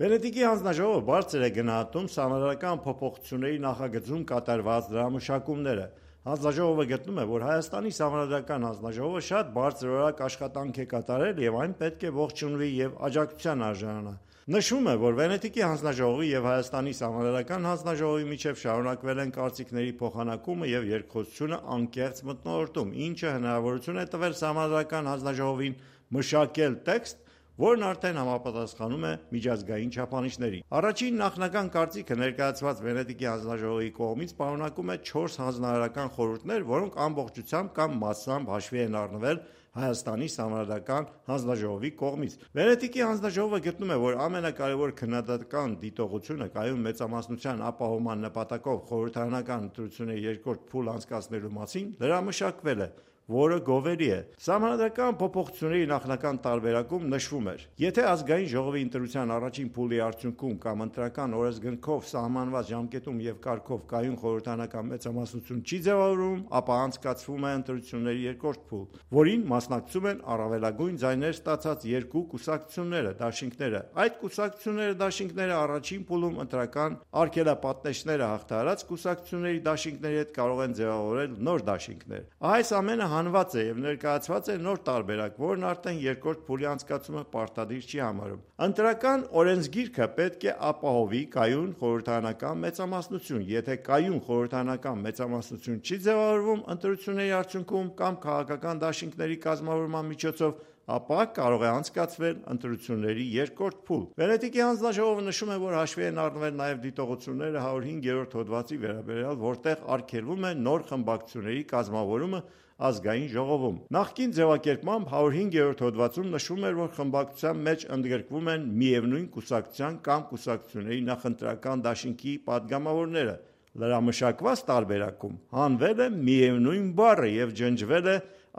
Վենետիկի հանձնաժողովը բարձր է գնահատում սահմանադրական փոփոխությունների նախագծում կատարված դրամաշակումները։ Հանձնաժողովը գտնում է, որ Հայաստանի սահմանադրական հանձնաժողովը շատ բարձրորակ աշխատանք է կատարել եւ այն պետք է ողջունվի եւ աջակցության արժանանա։ Նշվում է, որ Վենետիկի հանձնաժողովի եւ Հայաստանի սահմանադրական հանձնաժողովի միջև շարունակվել են կարծիքների փոխանակումը եւ երկխոսությունը անկեղծ մթնոլորտում, ինչը հնարավորություն է տվել սահմանադրական հանձնաժողովին մշակել տեքստ, որն արդեն համապատասխանում է միջազգային չափանիշներին։ Առաջին նախնական կարծիքը ներկայացված Վենետիկի հանձնաժողովի կողմից պարունակում է 4 հանձնարարական խորհուրդներ, որոնք ամբողջությամբ կամ մասամբ հաշվի են առնվել Հայաստանի սահմանադրական հանձնաժողովի կողմից։ Վենետիկի հանձնաժողովը գտնում է, որ ամենակարևոր քննադատական դիտողությունը կայուն մեծամասնության ապահովման նպատակով խորհրդարանական ընտրությունների երկրորդ փուլ անցկացնելու մասին լրամշակվել է, որը գովելի է։ Սահմանադրական փոփոխությունների նախնական տարբերակում նշվում էր. եթե ազգային ժողովի ընտրության առաջին փուլի արդյունքում կամ ընտրական օրենսգրքով սահմանված ժամկետում եւ կարգով կայուն խորհրդարանական մեծամասնություն չի ձևավորվում, ապա անցկացվում է ընտրությունների երկրորդ փուլ, որին մասնակցում են առավելագույն ձայներ ստացած երկու կուսակցությունները, դաշինքները։ Այդ կուսակցությունները, դաշինքները առաջին փուլում ընտրական արգելապատնեշները հաղթահարած կուսակցությունների դաշինքների հետ կարող են ձևավորել նոր դաշինքներ։ Այս ամենը հանված է եւ ներկայացված է նոր տարբերակ, որն արդեն երկրորդ փուլի անցկացումը պարտադիր չի համարում։ Ընտրական օրենսգիրքը պետք է ապահովի կայուն խորհրդարանական մեծամասնություն։ Եթե կայուն խորհրդարանական մեծամասնություն չի ձևավորվում ընտրությունների արդյունքում կամ քաղաքական դաշինքների կազմավորման միջոցով, ապա կարող է անցկացվել ընտրությունների երկրորդ փուլ։ Վենետիկի հանձնաժողովը նշում է, որ հաշվի են առնվել նաև դիտողությունները 105-րդ հոդվածի վերաբերյալ, որտեղ արգելվում է նոր խմբակցությունների կազմավորումը ազգային ժողովում։ Նախկին ձևակերպմամբ 105-րդ հոդվածում նշվում էր, որ խմբակցության մեջ ընդգրկվում են միևնույն կուսակցության կամ կուսակցությունների նախընտրական դաշինքի падգամավորները։ Լրամշակված տարբերակում հանվել է միևնույն բառը եւ ջնջվել է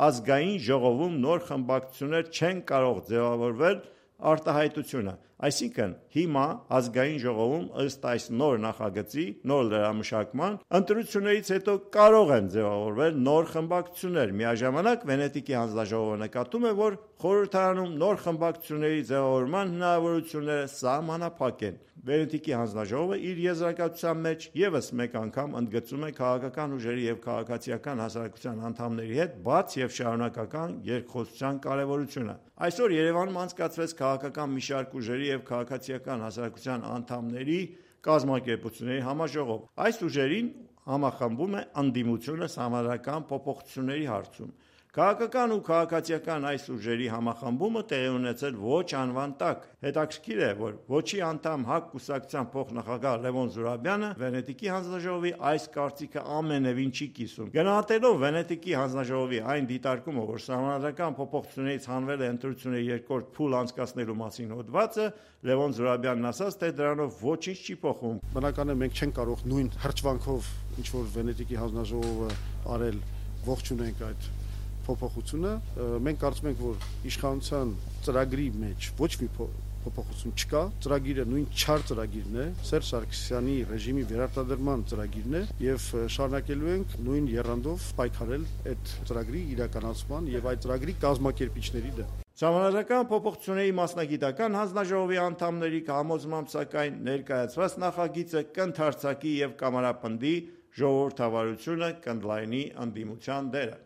ազգային ժողովում նոր խմբակցություններ չեն կարող ձևավորվել արտահայտությունը։ Այսինքն հիմա ազգային ժողովում ըստ այս նոր նախագծի, նոր լրամշակման, ընտրություններից հետո կարող են ձևավորվել նոր խմբակցություններ։ Միաժամանակ Վենետիկի հանձնաժողովը նկատում է, որ խորհրդարանում նոր խմբակցությունների ձևավորման հնարավորությունները սահմանափակ են։ Վենետիկի հանձնաժողովը իր եզրակացության մեջ եւս մեկ անգամ ընդգծում է քաղաքական ուժերի եւ քաղաքացիական հասարակության անդամների հետ բաց եւ շարունակական երկխոսության կարեւորությունը։ Այսօր Երևանում անցկացվեց քաղաքական մի շարք ուժերի եւ քաղաքացիական հասարակության անդամների կազմակերպությունների համաժողով։ Այս ուժերին համախմբում է ընդդիմությունը սահմանադրական փոփոխությունների հարցում։ Քաղաքական ու քաղաքացիական այս ուժերի համախմբումը տեղի ունեցել ոչ անվան տակ։ Հետաքրքիր է, որ ոչի անդամ ՀԱԿ կուսակցության փոխնախագահ Լևոն Զուրաբյանը Վենետիկի հանձնաժողովի այս կարծիքը ամենևին չի կիսում։ Գնահատելով Վենետիկի հանձնաժողովի այն դիտարկումը, որ սահմանադրական փոփոխություններից հանվել է ընտրությունների երկրորդ փուլ անցկացնելու մասին հոդվածը, Լևոն Զուրաբյանն ասաց, թե դրանով ոչինչ չի փոխվում։ Բնական է, մենք չենք կարող նույն հրճվանքով, ինչ որ Վենետիկի հանձնաժողովը արել, ողջունենք այդ փոփոխությունը։ Մենք կարծում ենք, որ իշխանության ծրագրի մեջ ոչ մի փոփոխություն չկա, ծրագիրը նույն չար ծրագիրն է, Սերժ Սարգսյանի ռեժիմի վերարտադրման ծրագիրն է եւ շարունակելու ենք նույն եռանդով պայքարել այդ ծրագրի իրականացման եւ այդ ծրագրի կազմակերպիչների դեմ։ Սահմանադրական փոփոխությունների մասնագիտական հանձնաժողովի անդամների համոզմամբ, սակայն ներկայացված նախագիծը կընդարձակի եւ կամարապնդի ժողովրդավարությունը կընդլայնի ընդդիմության դերը։